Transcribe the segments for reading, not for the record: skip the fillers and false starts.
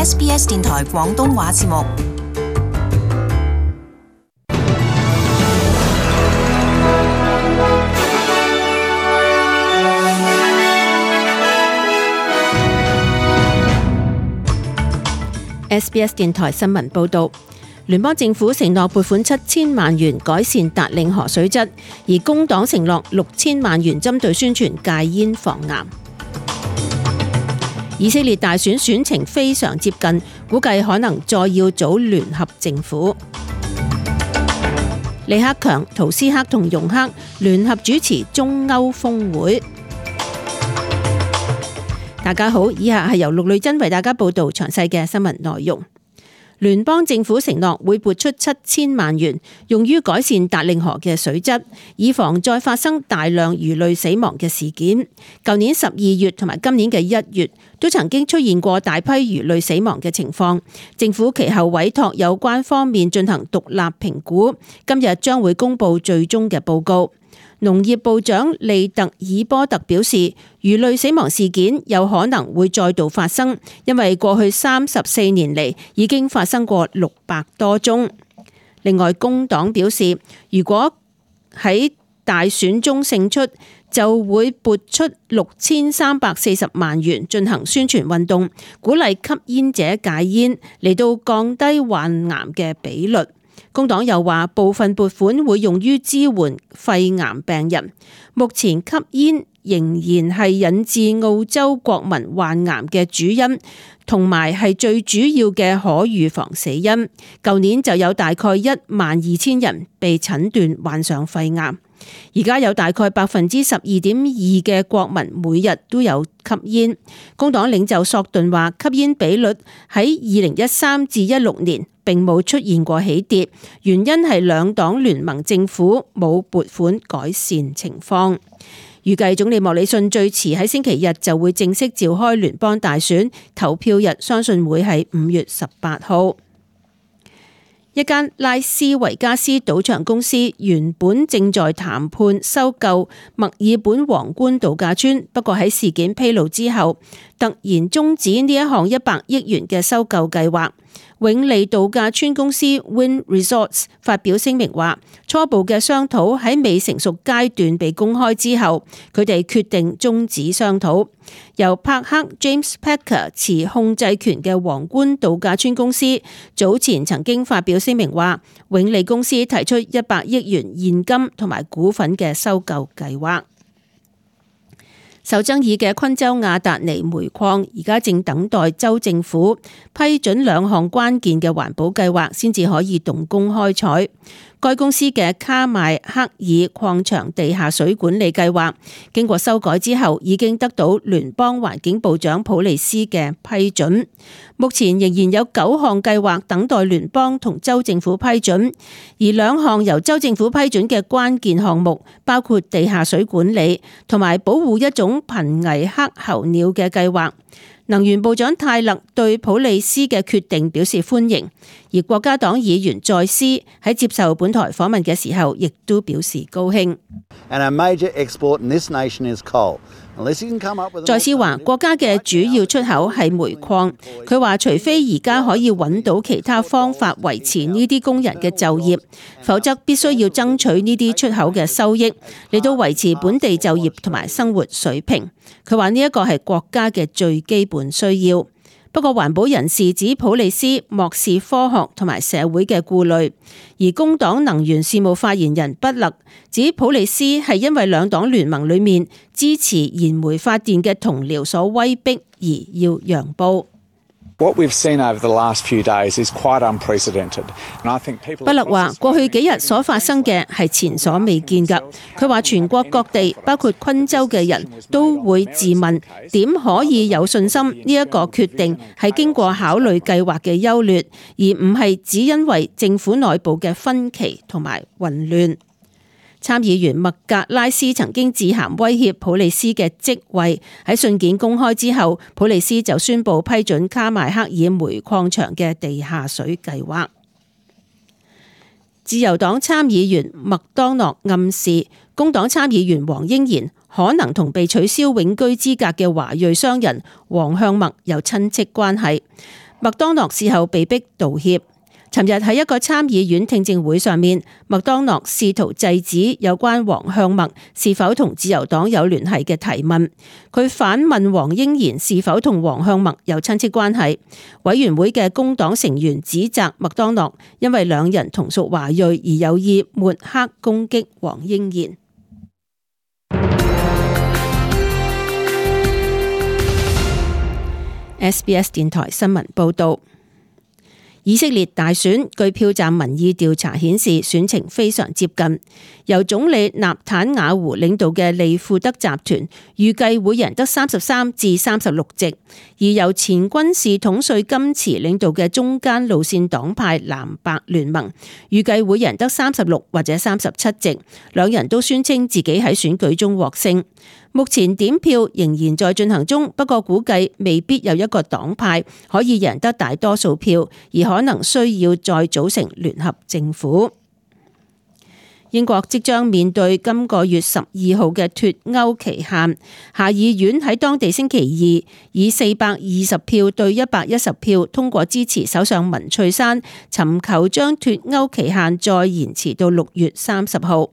SBS 電台廣東話節目。SBS 電台新聞報導，聯邦政府承諾撥款7000萬元改善達令河水質，而工黨承諾6000萬元針對宣傳戒煙防癌。以色列大選選情非常接近，估計可能再要組聯合政府。李克強、圖斯克同容克聯合主持中歐峰會。大家好，以下係由陸女珍為大家報道詳細嘅新聞內容。聯邦政府承諾會撥出7000萬元，用於改善達令河嘅水質，以防再發生大量魚類死亡嘅事件。舊年12月同埋今年嘅1月都曾經出現過大批魚類死亡嘅情況。政府其後委託有關方面進行獨立評估，今日將會公布最終嘅報告。農業部長利特爾波特表示，魚類死亡事件有可能會再度發生，因為過去34年嚟已經發生過600多宗。另外，工黨表示，如果喺大選中勝出，就會撥出6340萬元進行宣傳運動，鼓勵吸煙者戒煙，嚟到降低患癌嘅比率。工黨又話，部分撥款會用於支援肺癌病人。目前吸煙仍然係引致澳洲國民患癌嘅主因，同埋係最主要嘅可預防死因。舊年就有大概12000人被診斷患上肺癌。而家有大概12.2%嘅國民每日都有吸煙。工黨領袖索頓話，吸煙比率喺2013至16年並冇出現過起跌，原因係兩黨聯盟政府冇撥款改善情況。預計總理莫里遜最遲喺星期日就會正式召開聯邦大選，投票日相信會係5月18號。一間拉斯維加斯賭場公司原本正在談判收購墨爾本皇冠度假村，不過喺事件披露之後，突然終止呢一項100億元嘅收購計劃。永利度假村公司 Wynn Resorts 發表聲明話，初步嘅商討喺未成熟階段被公開之後，佢哋決定終止商討。由柏克 James Packer 持控制權嘅皇冠度假村公司早前曾經發表聲明話，永利公司提出100億元現金同埋股份嘅收購計劃。受爭議嘅昆州亞達尼煤礦而家正等待州政府批准2項關鍵嘅環保計劃，先至可以動工開採。該公司嘅卡邁克爾礦場地下水管理計劃經過修改之後，已經得到聯邦環境部長普利斯嘅批准。目前仍然有9項計劃等待聯邦同州政府批准，而2項由州政府批准嘅關鍵項目包括地下水管理同埋保護一種瀕危黑候鳥嘅計劃。能源部長泰勒對普利斯嘅決定表示歡迎，而國家黨議員在斯喺接受本台訪問嘅時候，亦都表示高興。在斯話，國家嘅主要出口係煤礦。佢話，除非而家可以揾到其他方法維持呢啲工人嘅就業，否則必須要爭取呢啲出口嘅收益，嚟到維持本地就業同埋生活水平。佢話呢一個係國家嘅最基本需要。不過環保人士指普利斯漠視科學同埋社會嘅顧慮，而工黨能源事務發言人畢勒指普利斯係因為兩黨聯盟裏面支持燃煤發電嘅同僚所威逼而要讓步。畢勒話：過去幾日所發生嘅係前所未見㗎。佢話全國各地，包括昆州嘅人都會自問點可以有信心呢一個決定係經過考慮計劃嘅優劣，而唔係只因為政府內部嘅分歧同埋混亂。參議員麥格拉斯曾經致函威脅普利斯嘅職位，喺信件公開之後，普利斯就宣布批准卡邁克爾煤礦場嘅地下水計劃。自由黨參議員麥當諾暗示，工黨參議員黃英賢可能同被取消永居資格嘅華裔商人黃向墨有親戚關係。麥當諾事後被逼道歉。尋日喺一個參議院聽證會上面，麥當諾試圖制止有關黃向墨是否同自由黨有聯繫嘅提問。佢反問黃英賢是否同黃向墨有親戚關係。委員會嘅工黨成員指責麥當諾因為兩人同屬華裔而有意抹黑攻擊黃英賢。SBS 電台新聞報道。以色列大選，據票站民意調查顯示，選情非常接近。由總理納坦雅胡領導嘅利庫德集團預計會贏得33至36席，而由前軍事統帥金池領導嘅中間路線黨派藍白聯盟預計會贏得36或者37席。兩人都宣稱自己喺選舉中獲勝。目前點票仍然在進行中，不過估計未必有一個黨派可以贏得大多數票，而可能需要再組成聯合政府。英國即將面對今個月12號嘅脫歐期限，下議院喺當地星期二以420票對110票通過支持首相文翠珊，尋求將脫歐期限再延遲到6月30號。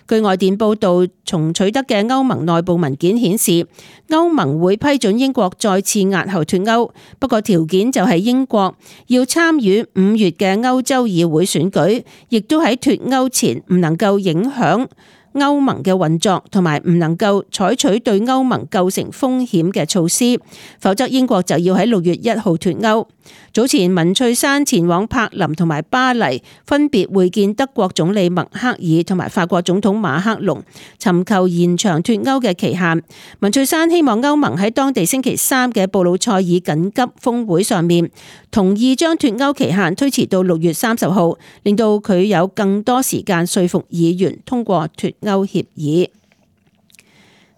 據外電報道，從取得嘅歐盟內部文件顯示，歐盟會批准英國再次押後脫歐，不過條件就係英國要參與5月嘅歐洲議會選舉，亦都喺脫歐前唔能夠影響歐盟嘅運作，同埋唔能夠採取對歐盟構成風險嘅措施，否則英國就要喺6月1號脫歐。早前文翠珊前往柏林同埋巴黎，分別會見德國總理默克爾同埋法國總統馬克龍，尋求延長脫歐嘅期限。文翠珊希望歐盟喺當地星期3嘅布魯塞爾緊急峰會上面，同意將脫歐期限推遲到6月30號，令到佢有更多時間說服議員通過脫歐協議。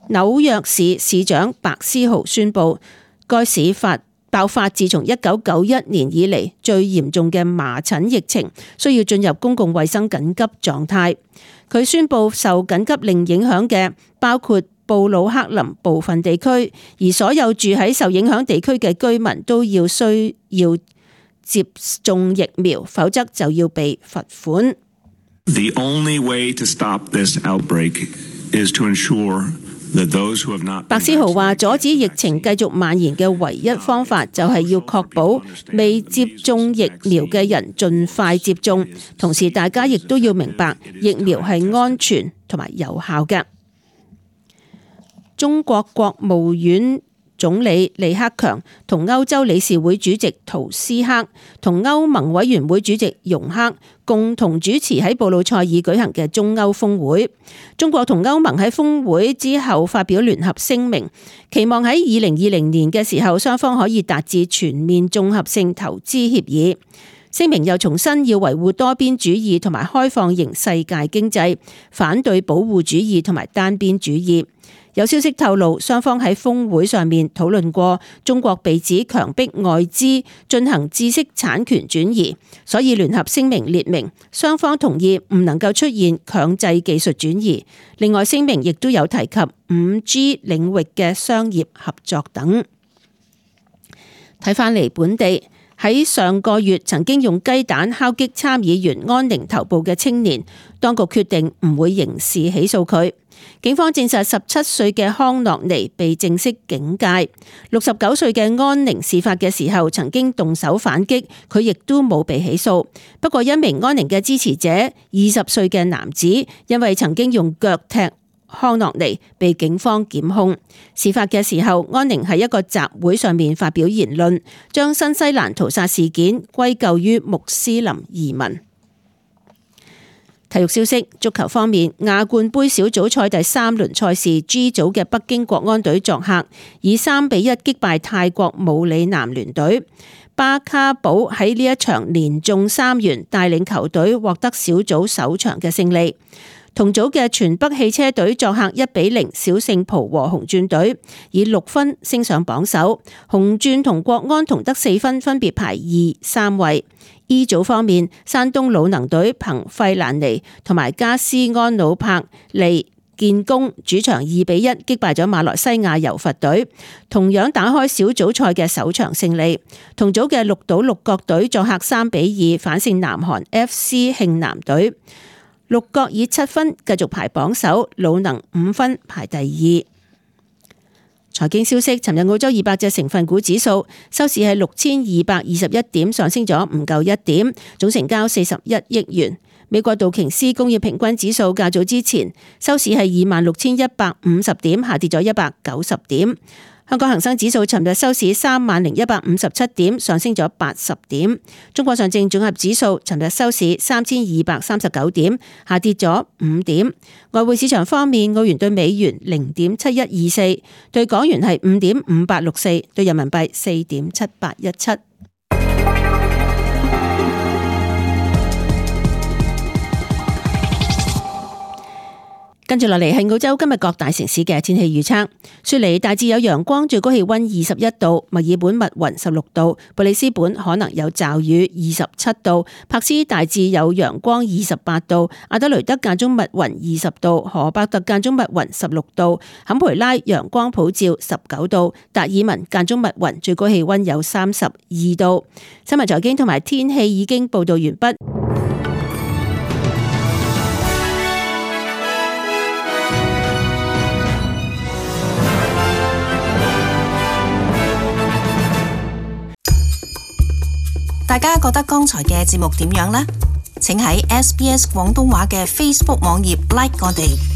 紐約市市長白思豪宣布，該市爆發自從1991年以嚟最嚴重嘅麻疹疫情，需要進入公共衛生緊急狀態。佢宣布受緊急令影響嘅包括布魯克林部分地區，而所有住喺受影響地區嘅居民都需要接種疫苗，否則就要被罰款。The only way to stop this outbreak is to ensure白思豪話：阻止疫情繼續蔓延嘅唯一方法就係要確保未接種疫苗嘅人盡快接種，同時大家亦都要明白疫苗係安全同埋有效嘅。中國國務院總理李克強同歐洲理事會主席圖斯克同歐盟委員會主席容克共同主持喺布魯塞爾舉行嘅中歐峰會。中國同歐盟喺峰會之後發表聯合聲明，期望喺2020年嘅時候，雙方可以達至全面綜合性投資協議。聲明又重申要維護多邊主義同埋開放型世界經濟，反對保護主義同埋單邊主義。有消息透露，雙方喺峰會上面討論過中國被指強迫外資進行知識產權轉移，所以聯合聲明列明雙方同意唔能夠出現強制技術轉移。另外，聲明亦都有提及 5G 領域嘅商業合作等。睇返嚟本地，喺上個月曾經用雞蛋敲擊參議員安寧頭部嘅青年，當局決定唔會刑事起訴佢。警方證實17歲嘅康諾尼被正式警戒。69歲嘅安寧事發嘅時候曾經動手反擊，佢亦都冇被起訴。不過一名安寧嘅支持者20歲嘅男子因為曾經用腳踢康諾尼被警方檢控。事發嘅時候，安寧喺一個集會上面發表言論，將新西蘭屠殺事件歸咎於穆斯林移民。體育消息，足球方面，亞冠盃小組賽第3輪賽事 G 組嘅北京國安隊作客以3-1擊敗泰國武里南聯隊。巴卡堡喺呢一場連中3元，帶領球隊獲得小組首場嘅勝利。同組嘅全北汽車隊作客1-0小勝浦和紅鑽隊，以6分升上榜首。紅鑽同國安同得4分，分別排2、3位。E 組方面，山東魯能隊憑費蘭尼同埋加斯安努柏利建功主場2-1擊敗咗馬來西亞柔佛隊，同樣打開小組賽嘅首場勝利。同組嘅綠島鹿角隊作客3-2反勝南韓 FC 慶南隊，鹿角以7分繼續排榜首，魯能5分排第2。財經消息，尋日澳洲200隻成分股指數收市係6221點，上升咗唔夠1點，總成交41億元。美國道瓊斯工業平均指數較早之前收市係26,150點，下跌咗190點。香港恒生指數尋日收市30,157點，上升咗80點。中國上證綜合指數尋日收市3,239點，下跌咗5點。外匯市場方面，澳元對美元0.7124，對港元係5.5864，對人民幣4.7817。跟住落嚟係澳洲今日各大城市嘅天氣預測。雪梨大致有陽光，最高氣溫21度；墨爾本密雲16度；布里斯本可能有驟雨27度；柏斯大致有陽光28度；阿德雷德間中密雲20度；荷伯特間中密雲16度；坎培拉陽光普照19度；達爾文間中密雲，最高氣溫有32度。新聞財經同埋天氣已經報道完畢。大家覺得剛才嘅節目點樣呢？請喺SBS 廣東話嘅 Facebook 網頁 like 我哋。